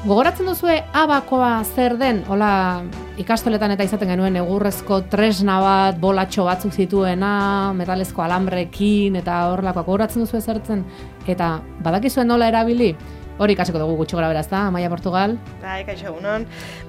Gogoratzen duzue abakoa zer den? Hola, ikastoletan eta izaten genuen egurrezko tresna bat, bolatxo batzuk zituena, metalezko alambrekin eta horrelakoak. Gogoratzen duzue zertzen? Eta badakizuen nola erabili? Hori ikasiko dugu gutxi gora beraz, Amaia Portugal. Kaixo egunon.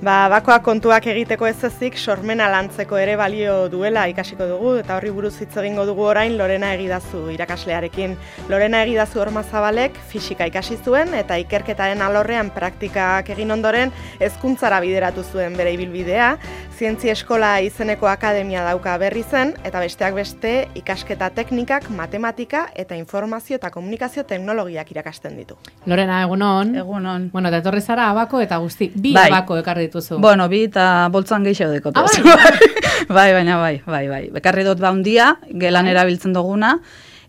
Bakoa kontuak egiteko ez ezik, sormena lantzeko ere balio duela ikasiko dugu, eta horri buruz hitz egingo dugu orain Lorena Egidazu irakaslearekin. Lorena Egidazu Ormazabalek fisika ikasi zuen eta ikerketaren alorrean praktikak egin ondoren hezkuntzara bideratu zuen bere ibilbidea. Zientzia Eskola izeneko akademia dauka berri zen, eta besteak beste ikasketa teknikak, matematika eta informazio eta komunikazio teknologiak irakasten ditu. Lorena, egunon. Egunon. Bueno, eta etorri zara abako eta guzti. Bi abako ekarri dituzu. Bueno, bi eta boltzan gehiago dekotuz. Baina bai. Bekarri dut baundia, gelan erabiltzen duguna,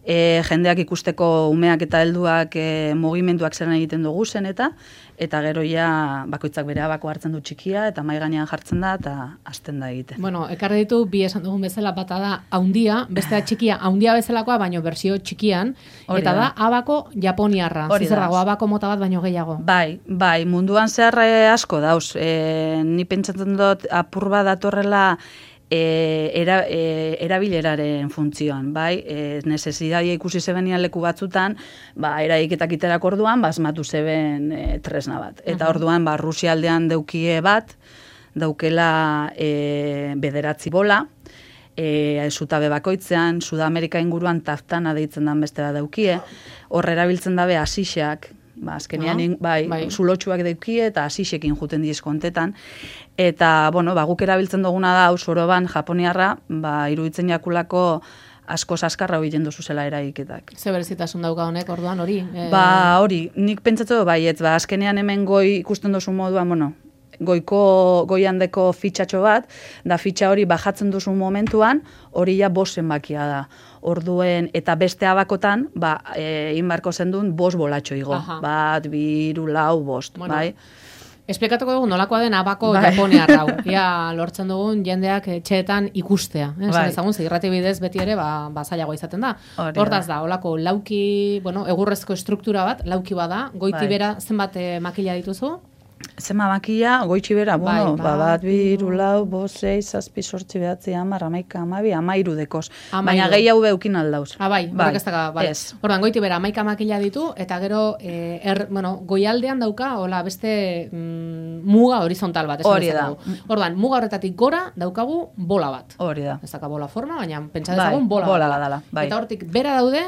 jendeak ikusteko umeak eta helduak mugimenduak zelan egiten dugu zen eta gero ja bakoitzak bere abako hartzen du txikia eta mahai gainean jartzen da eta hasten da egiten. Bueno, ekarri ditu bi esan dugun bezala, bata da haundia, bestea txikia, haundia bezalakoa, baino bersio txikian, eta da abako japoniarra. Zer dago, abako mota bat baino gehiago. Bai, munduan zehar asko dauz. Ni pentsatzen dut apur bat datorrela erabileraren funtzioan, bai, necesidadea ikusi zebenian leku batzutan, eraiketak iterak orduan, asmatu zeben tresna bat. Eta orduan, Rusia aldean deukie bat, daukela bederatzi bola, zutabe bakoitzean, Sudamerika inguruan taftana deitzen dan beste bat daukie, hor erabiltzen dabe asixak, azkenean, zulotxuak daukie eta asixekin juten dizkontetan. Eta, guk erabiltzen duguna da, soroban, japoniarra, iruditzen jakulako asko zaskarra hori jendu zuzela eraiketak. Ze berezitasun dauka honek, orduan hori? Hori, nik pentsatu baietz, azkenean hemen goi ikusten duzu moduan, goiandeko fitxatxo bat, da fitxa hori bajatzen duzu momentuan, hori ja bost zenbakia da. Orduen, eta beste abakotan, inbarko zendun bost bolatxo igo. Bat, 2, 4, 5, bai? Esplikatuko dugu nolakoa den abako japoniarra hau. Ia lortzen dugun jendeak etxeetan ikustea. Esan ezagun, irrati bidez beti ere zailagoa izaten da. Hortaz da, olako lauki, egurrezko estruktura bat, lauki bada, goiti bera zenbat makila dituzu? Zema makila, goitxi bera, bat, 2, 4, 5, 6, 7, 8, 9, 10, 11, 12, 13 dekoz. Baina gehiago beukin aldauz. Horrek ez daga, Ordan, goiti bera, 11 makila ditu, eta gero, goialdean dauka, beste muga horizontal bat. Hori da. Ordan, muga horretatik gora daukagu bola bat. Hori da. Ez daka bola forma, baina pentsa dezagun bola dala. Eta hortik bera daude,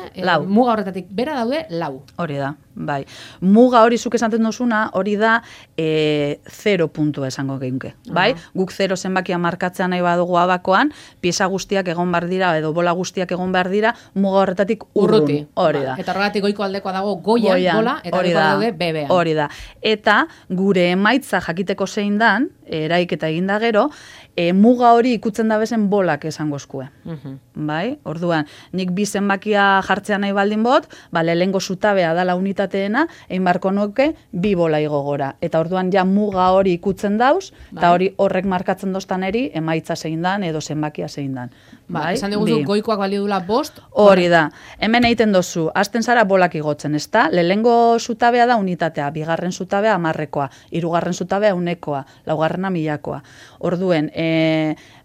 muga horretatik bera daude, lau. Hori da. Bai. Muga hori zuk esaten duzuna, hori da 0 puntua esango geunke. Bai? Guk 0 zenbakia markatzea nahi badugu abakoan, pieza guztiak egon behar dira, edo bola guztiak egon behar dira, muga horretatik urruti. Hori da. Eta horregatik goiko aldekoa dago goian bola, eta goiko daude bebean. Hori da. Eta gure emaitza jakiteko zein dan, eraiketa eginda gero, muga hori ikutzen da bezen bolak esangozkue. Bai? Orduan, nik bi zenbakia jartzea nahi baldin bot, lehengo zutabea dala unitateena, egin barko nuke, 2 bola igo gora. Eta orduan ja muga hori ikutzen dauz, eta hori horrek markatzen doztan eri, emaitza zein dan, edo zenbakia zein dan. Esan diguzu, goikoak balio dula 5? Hori da. Hemen egiten dozu, hasten zara bolak igotzen, ez da? Lehengo zutabea da unitatea, 2. zutabea 10-koa, 3. zutabea 100-koa, 4. 1000-koa. Orduen,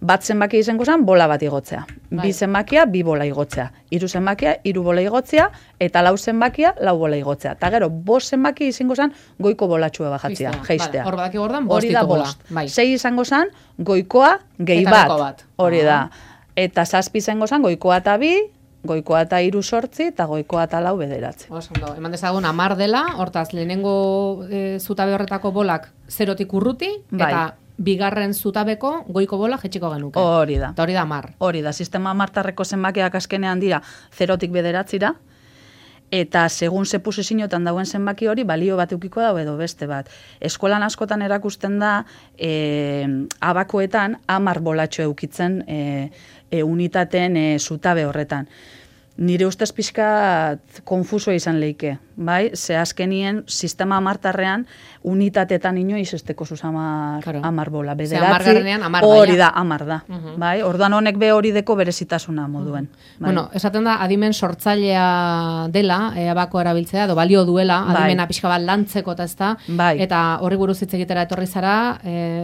bat zenbakia izango zen, bola bat igotzea. 2 zenbakia, 2 bola igotzea. 3 zenbakia, 3 bola igotzea, eta 4 zenbakia, 4 bola igotzea. Eta gero, 5 zenbakia izango zen, goiko bolatxua bajatzea, geistea. Hor badaki gordan, 5 ditu bola. 6 izango zen, goikoa, gehi bat. Hori da. Eta 7 izango zen, goikoa eta 2, goikoa eta 3 8, eta goikoa eta 4 9. Osondo, eman dezagun 10 dela, hortaz, lehenengo zutabe horretako bolak 0tik urruti, eta 2. zutabeko goiko bola jetxiko genuke. Hori da. Eta hori da 10. Hori da, sistema martarreko zenbakiak azkenean dira 0tik 9, eta segun ze posizioetan dauen zenbaki hori, balio bat eukiko dago edo beste bat. Eskolan askotan erakusten da, abakoetan 10 bolatxo eukitzen unitateen zutabe horretan. Nire ustez pixka konfuso izan leike. bai? Ze azkenien sistema amartarrean unitatetan inoiz esteko zuz amar bola. Amargarrenean amar hori da, amar da. Bai? Orduan honek be hori deko berezitasuna moduen. Bai? Bueno, esaten da, adimen sortzailea dela, abako erabiltzea, edo balio duela, adimena pixka bat lantzeko eta ez da, eta horri buruz hitz egitera etorri zara,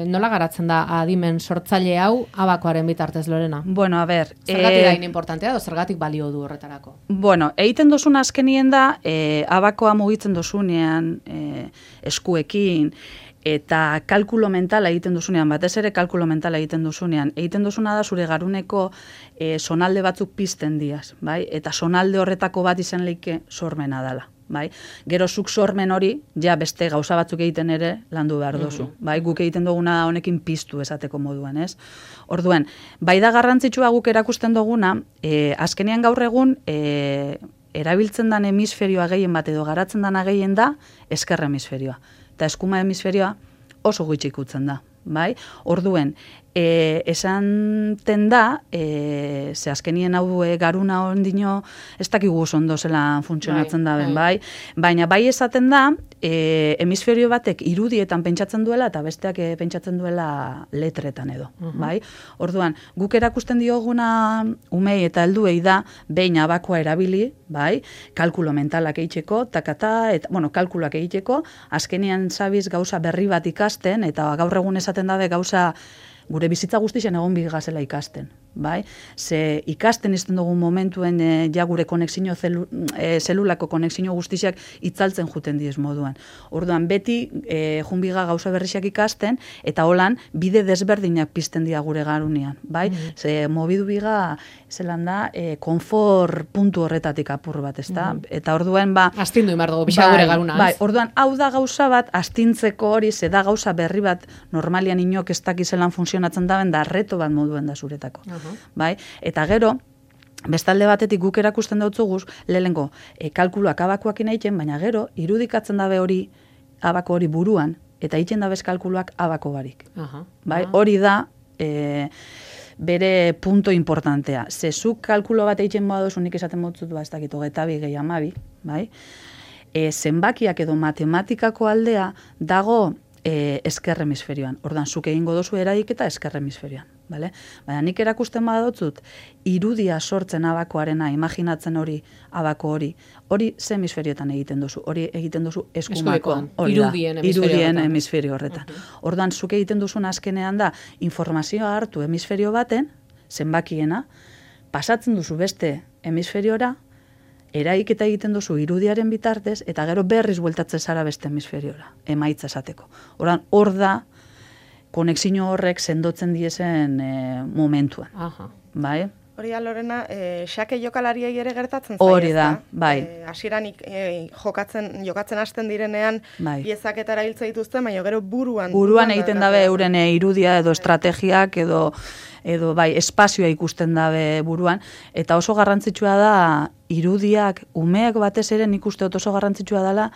nola garatzen da adimen sortzaile hau abakoaren bitartez, Lorena? Bueno, a ber... Zergatik da importantea, edo zergatik balio du horretarako? Bueno, egiten dozun azkenien da, abakoa mugitzen dozunean eskuekin, eta kalkulo mentala egiten duzunean, batez ere kalkulo mentala egiten duzuna da zure garuneko sonalde batzuk pizten diaz, bai? Eta sonalde horretako bat izan leike sormena dela. Bai? Gero zuk sormen hori, ja beste gauza batzuk egiten ere landu behar dozu. Bai? Guk egiten duguna honekin piztu esateko moduan, ez? Orduen, bai da garrantzitsua guk erakusten duguna, azkenean gaur egun erabiltzen den hemisferioa gehien bat edo garatzen dana gehien da ezker hemisferioa. Eta eskuma hemisferioa oso gutxi ikutzen da. Bai? Orduen, esanten da, ze azkenien hau garuna ondino, ez dakigu ondo zelan funtzionatzen da ben, bai? Baina bai esaten da, hemisferio batek irudietan pentsatzen duela eta besteak pentsatzen duela letretan edo, bai? Orduan, guk erakusten dioguna umei eta helduei da, behin abakoa erabili, bai? Kalkulo mentalak egiteko, takata, eta, bueno, kalkuloak egiteko, azkenean zabiz gauza berri bat ikasten, eta gaur egun esaten dabe gauza gure bizitza guztien egon bigazela ikasten, bai? Ze ikasten izten dugun momentuen ja gure konexio zelulako konexio guztiak itzaltzen juten diez moduan. Orduan, beti junbiga gauza berriak ikasten, eta holan bide desberdinak pizten dira gure garunean, bai? Ze mobidu biga, zelan da, konfor puntu horretatik apur bat, ezta? Eta orduan, ba... Astindu imar dugu, bisa gure garuna, bai, orduan, hau da gauza bat, astintzeko hori, ze da gauza berri bat, normalian inok ez dakizelan funtzionatzen daben, da reto bat moduen da zuretako. Bai? Eta gero, bestalde batetik guk erakusten dautzuguz, lehengo, kalkuluak abakoakin egiten, baina gero, irudikatzen dabe hori, abako hori buruan, eta egiten dabez kalkuluak abako barik. Bai? Hori da, bere punto importantea. Zezuk kalkulo bat egiten moa dozu, nik esaten motzut, ez dakit, 22 gehi 12, bai? Zenbakiak edo matematikako aldea dago ezker hemisferioan. Ordan zuk egingo dozu eragiketa ezker hemisferioan, bale? Baina nik erakusten badotzut irudia sortzen abakoarena, imaginatzen hori abako hori ze hemisferioetan egiten dozu? Hori egiten dozu eskumakoan, irudien hemisferio horretan. Ordan zuk egiten duzun azkenean da informazioa hartu hemisferio baten, zenbakiena, pasatzen duzu beste hemisferiora, eraiketa egiten duzu irudiaren bitartez, eta gero berriz bueltatzen zara beste hemisferiora, emaitza esateko. Ordan, hor da, konexio horrek sendotzen diezen momentuan. Bai? Hori da, Lorena, xake jokalariei ere gertatzen zaio. Hori da, bai. Hasieran jokatzen hasten direnean, piezak eta erabiltza dituzten, baina gero buruan egiten dabe euren irudia edo estrategiak edo bai, espazioa ikusten dabe buruan, eta oso garrantzitsua da irudiak, umeak batez ere nik uste oso garrantzitsua dela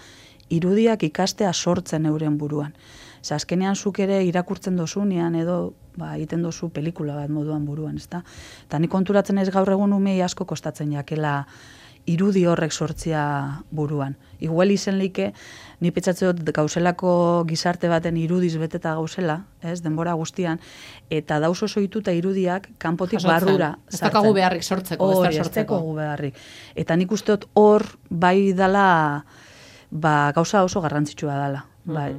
irudiak ikastea sortzen euren buruan. Ze azkenean zuk ere irakurtzen dozunean edo egiten dozu pelikula bat moduan buruan, ezta? Eta nik konturatzen ez gaur egun umei asko kostatzen jakela irudi horrek sortzia buruan. Igual izen leike, ni petxatzeo gauzelako gizarte baten irudiz beteta gauzela, ez, denbora guztian, eta dauz oso ituta irudiak kanpotik barrura sartzen. Ez dakagu beharrik sortzeko, ez dakagu beharrik. Eta nik usteot hor bai dala, gauza oso garrantzitsua dala.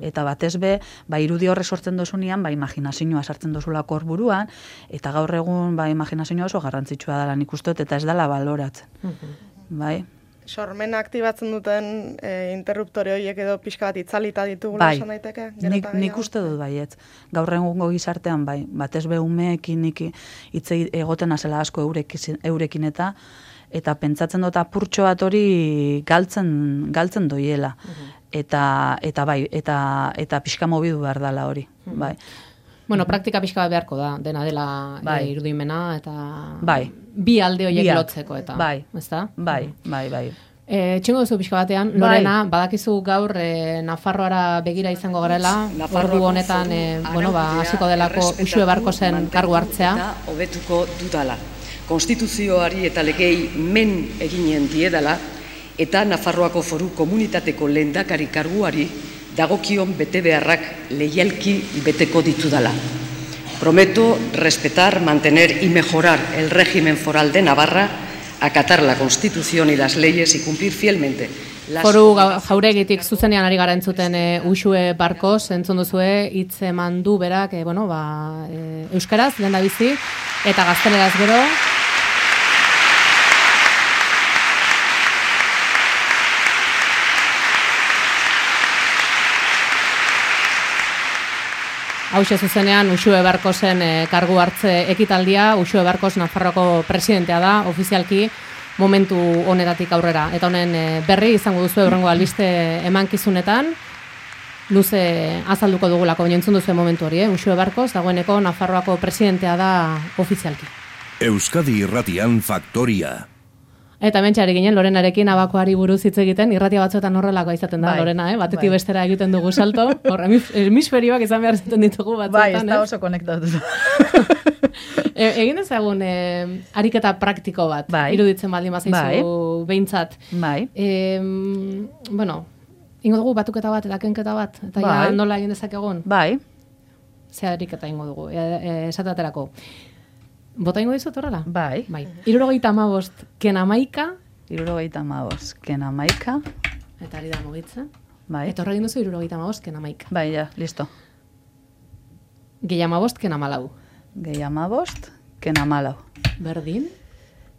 Eta batez be, irudi horre sortzen dozunean, imaginazioa sartzen dozulako hor buruan, eta gaur egun imaginazioa oso garrantzitsua dala nik usteot, eta ez dala baloratzen. Bai? Sormena aktibatzen duten interruptore horiek edo pixka bat itzalita ditugula esan daiteke? Nik uste dut baietz. Gaur egungo gizartean batez be umeekin hitz egoten azela asko eurekin eta pentsatzen dut apurtxo bat hori galtzen doiela. Eta pixka mobidu behar dela hori. Bai. Bueno, praktika pixka bat beharko da, dena dela irudimena, eta bi alde horiek lotzeko, eta, ezta? Bai. Txingo duzu pixka batean, Lorena, badakizu gaur Nafarroara begira izango garela, ordu honetan, hasiko delako Uxue Barkosen kargu hartzea. Hobetuko dudala. Konstituzioari eta legei men eginen diedala, eta Nafarroako Foru Komunitateko lehendakari karguari dagokion betebeharrak leialki beteko ditudala. Prometo respetar, mantener y mejorar el régimen foral de Navarra, acatar la Constitución y las leyes y cumplir fielmente. Foru Jauregitik zuzenean ari gara entzuten Uxue Barkos, entzun duzue hitz eman du berak, euskaraz, lehendabizi, eta gazteleraz gero. Hauxe zuzenean Uxue Barkosen kargu hartze ekitaldia, Uxue Barkos Nafarroako presidentea da, ofizialki momentu honetatik aurrera. Eta honen berri izango duzu hurrengo albiste emankizunetan, luze azalduko dugulako, baina entzun duzu momentu hori, Uxue Barkos dagoeneko Nafarroako presidentea da ofizialki. Euskadi Irratian Faktoria. Eta mentxari ginen, Lorenarekin abakoari buruz hitz egiten, irratia batzuetan horrelakoa izaten da, Lorena, batetik bestera egiten dugu salto, hemisferioak izan behar zaten ditugu batzuetan. Bai, ez da oso konektatu. Egin ezagun ariketa praktiko bat, iruditzen baldin bazaizu behintzat. Bai. Ingo dugu batuketa bat, eta kenketa bat, eta nola egin dezakegun? Bai. Ze ariketa ingo dugu, esateaterako. Bota ingo dizut horrela? Bai. 75 kenamaika. 75 kenamaika. Eta ari da mugitzen. Bai. Eta horregin duzu 75 kenamaika. Bai, ja, listo. Gehiamabost kenamalau. Gehiamabost kenamalau. Berdin?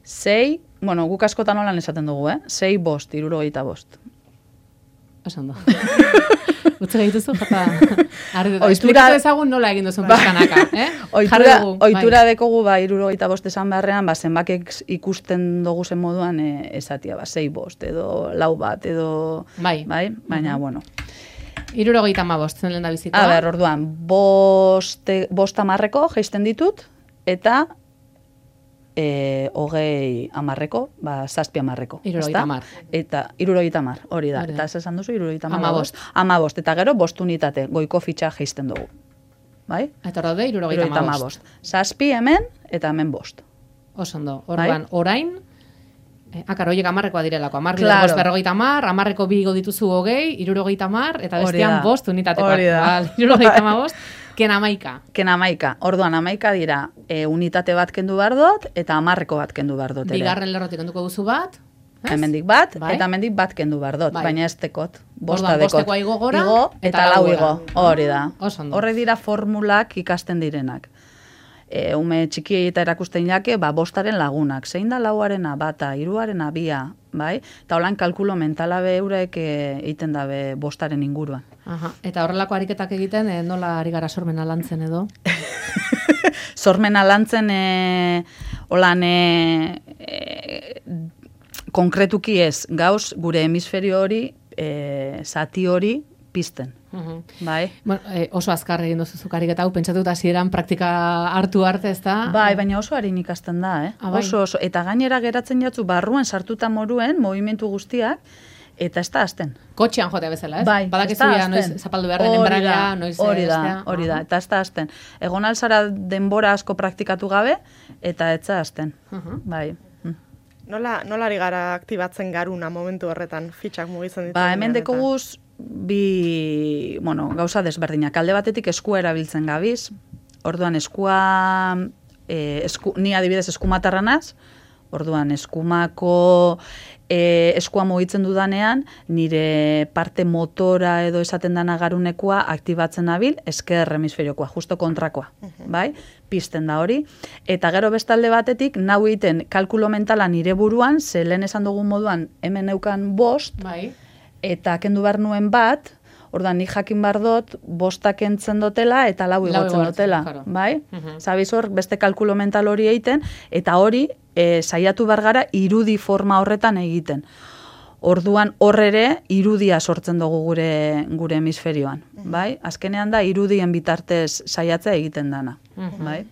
6, guk askotan holan esaten dugu, 6 bost, 75. Esan da. Utze gehituzu, jata. Esplikatu ezagun nola egin duzun pizkanaka. Oitura dekogu 75 esan beharrean, zenbakek ikusten dugu zen moduan esatia, 6 bost, edo lau bat, edo... Bai, baina, bueno. 75 zen lehen da bizikoa. A ber, orduan, bost amarreko jaisten ditut, eta 20 amarreko, 7 amarreko. 70 amar. Eta 70 amar, hori da. Eta ez esan duzu, 70 amabost. Eta gero, bost unitate, goiko fitxa jaisten dugu. Bai? Eta hori da, 70 amabost. 7 hemen, eta hemen bost. Osondo, orduan, orain, akar, horiek amarrekoa direlako, amarreko berrogeita amar, amarreko bi dituzu 20, 70 amar, eta bestian bost unitatekoak. Hori da. 70 amabost. Kenamaika. Orduan, amaika dira unitate bat kendu behar dut, eta amarreko bat kendu behar dut. Bigarren lerrotik kenduko duzu bat. Hemendik bat, eta hemendik bat kendu behar dut, baina ez tekot. Bostekoa igo gora, eta lau igo. Hori da. Horrek dira formulak ikasten direnak. Ume txikiei eta erakusten jake, bostaren lagunak. Zein da lauarena bata, hiruarena bia, bai? Eta holan kalkulo mentala beurek egiten dabe bostaren inguruan. Eta horrelako ariketak egiten, nola ari gara sormena lantzen edo? Sormena lantzen, holan, konkretuki ez, gauz, gure hemisferio hori, zati hori, pizten. Bai. Oso azkar egin duzuzuk ariketa hau, pentsatuta hasieran praktika hartu arte, ez da? Bai, baina oso harin ikasten da, oso. Eta gainera geratzen jatzu barruen sartuta moruen, movimentu guztiak, eta ez da azten. Kotxean jotea bezala, ez? Bai, badakizuia noiz zapaldu behar den enbraila, noiz... Hori da, eta ez da azten. Egon alzara denbora asko praktikatu gabe, eta ez da azten. Bai. Nola ari gara aktibatzen garuna momentu horretan, fitxak mugitzen ditu? Hemen dekoguz, gauza desberdinak. Alde batetik eskua erabiltzen gabiz, orduan eskua, ni adibidez eskumatarranaz, orduan eskumako eskua mugitzen dudanean, nire parte motora edo esaten dana garunekoa aktibatzen nabil, esker hemisferiokoa, justo kontrakoa, bai? Pizten da hori. Eta gero bestalde batetik, nau egiten kalkulo mentala nire buruan, ze lehen esan dugun moduan hemen neukan bost, eta kendu behar nuen bat, orduan nik jakin behar dut, bostak entzen dutela eta lau igotzen dutela, bai? Zabiz hor, beste kalkulo mental hori egiten, eta hori, saiatu behar gara irudi forma horretan egiten. Orduan horrere irudia sortzen dugu gure hemisferioan, bai? Azkenean da irudien bitartez saiatzea egiten dana, bai?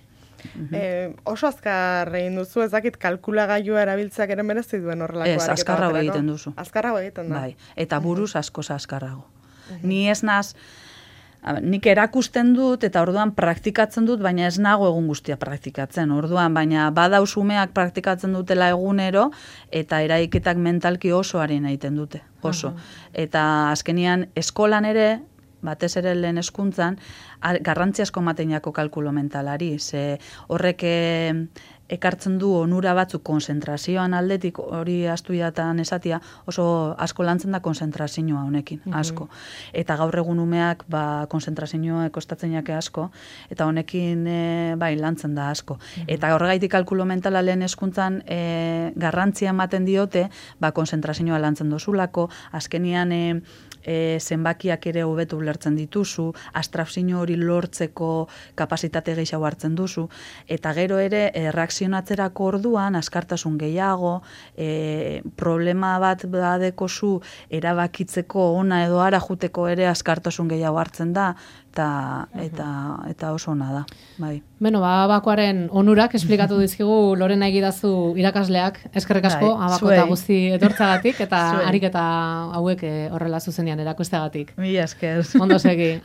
Oso azkar egin duzu, ez dakit kalkulagailua erabiltzeak ere merezi duen horrelako ariketa. Ez, azkarrago egiten duzu. Azkarrago egiten da. Bai, eta buruz askoz azkarrago. Ni ez naz, nik erakusten dut eta orduan praktikatzen dut, baina ez nago egun guztia praktikatzen. Orduan, baina badauz umeak praktikatzen dutela egunero eta eraiketak mentalki oso haren egiten dute, oso. Eta azkenian eskolan ere, batez ere lehen hezkuntzan, garrantzia asko ematen jako kalkulo mentalari, ze horrek ekartzen du onura batzuk konzentrazioan aldetik, hori astuiatan esatia, oso asko lantzen da konzentrazioa honekin, asko. Eta gaur egun umeak konzentrazioa kostatzen jake asko, eta honekin bai lantzen da asko. Eta horregaitik kalkulo mentala lehen hezkuntzan garrantzia ematen diote, konzentrazioa lantzen dozulako, azkenian zenbakiak ere hobetu ulertzen dituzu, abstrakzio hori lortzeko kapasitate gehiago hartzen duzu, eta gero ere reakzionatzerako orduan askartasun gehiago, problema bat badekozu erabakitzeko ona edo ara juteko ere askartasun gehiago hartzen da, eta oso ona da, bai. Beno, abakoaren onurak esplikatu dizkigu Lorena Egidazu irakasleak, eskerrik asko, abako eta guzti etortzagatik, eta ariketa hauek horrela zuzenean erakusteagatik. Mila esker. Ondo segi.